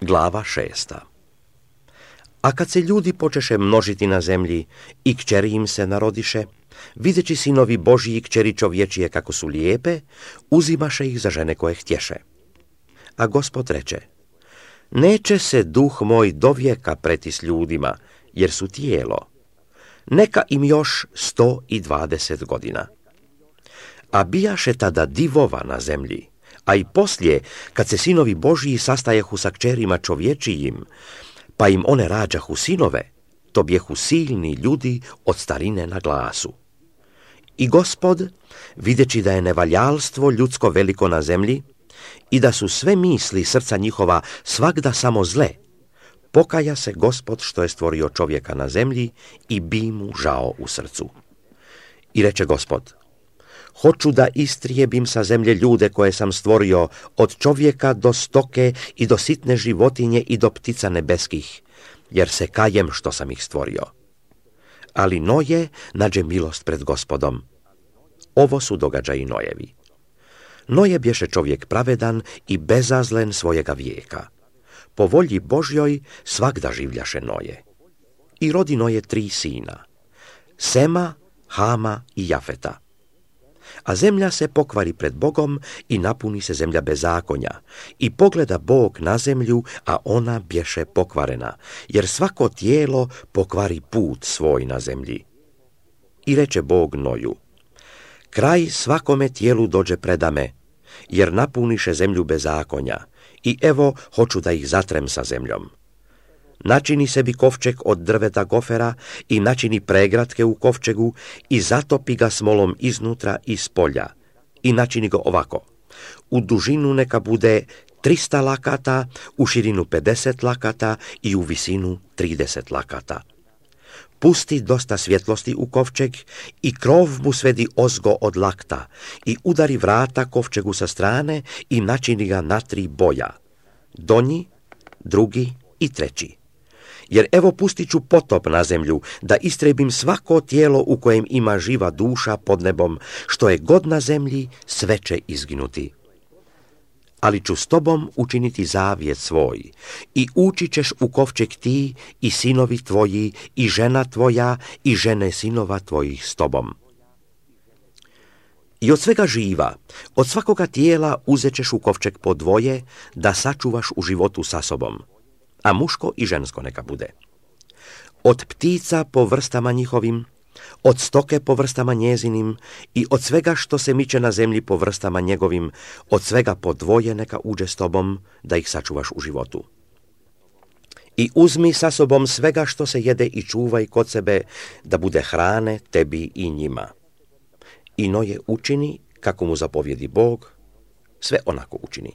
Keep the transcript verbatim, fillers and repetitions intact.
Glava šesta. A kad se ljudi počeše množiti na zemlji i kćeri im se narodiše, videći sinovi Božji i kćeri čovječije kako su lijepe, uzimaše ih za žene koje htješe. A Gospod reče, neće se duh moj do vijeka preti s ljudima, jer su tijelo. Neka im još sto i dvadeset godina. A bijaše tada divova na zemlji, a i poslije, kad se sinovi Božji sastajehu sa kćerima čovječijim, pa im one rađahu sinove, to bjehu silni ljudi od starine na glasu. I Gospod, videći da je nevaljalstvo ljudsko veliko na zemlji i da su sve misli srca njihova svagda samo zle, pokaja se Gospod što je stvorio čovjeka na zemlji i bi mu žao u srcu. I reče Gospod, hoću da istrijebim sa zemlje ljude koje sam stvorio, od čovjeka do stoke i do sitne životinje i do ptica nebeskih, jer se kajem što sam ih stvorio. Ali Noje nađe milost pred Gospodom. Ovo su događaji Nojevi. Noje bješe čovjek pravedan i bezazlen svojega vijeka. Po volji Božjoj svagda življaše Noje. I rodi Noje tri sina, Sema, Hama i Jafeta. A zemlja se pokvari pred Bogom i napuni se zemlja bezakonja. I pogleda Bog na zemlju, a ona bješe pokvarena, jer svako tijelo pokvari put svoj na zemlji. I reče Bog Noju, kraj svakome tijelu dođe predame, jer napuniše zemlju bezakonja, i evo hoću da ih zatrem sa zemljom. Načini sebi kovčeg od drveta gofera i načini pregratke u kovčegu i zatopi ga smolom iznutra i s polja. I načini ga ovako. U dužinu neka bude trista lakata, u širinu pedeset lakata i u visinu trideset lakata. Pusti dosta svjetlosti u kovčeg i krov mu svedi ozgo od lakta i udari vrata kovčegu sa strane i načini ga na tri boja. Donji, drugi i treći. Jer evo pustit ću potop na zemlju, da istrebim svako tijelo u kojem ima živa duša pod nebom, što je god na zemlji, sve će izginuti. Ali ću s tobom učiniti zavjet svoj, i ući ćeš u kovčeg ti i sinovi tvoji, i žena tvoja, i žene sinova tvojih s tobom. I od svega živa, od svakoga tijela uzet ćeš u kovčeg po dvoje, da sačuvaš u životu sa sobom, a muško i žensko neka bude. Od ptica po vrstama njihovim, od stoke po vrstama njezinim i od svega što se miče na zemlji po vrstama njegovim, od svega po dvoje neka uđe s tobom, da ih sačuvaš u životu. I uzmi sa sobom svega što se jede i čuvaj kod sebe, da bude hrane tebi i njima. I Noje učini, kako mu zapovjedi Bog, sve onako učini.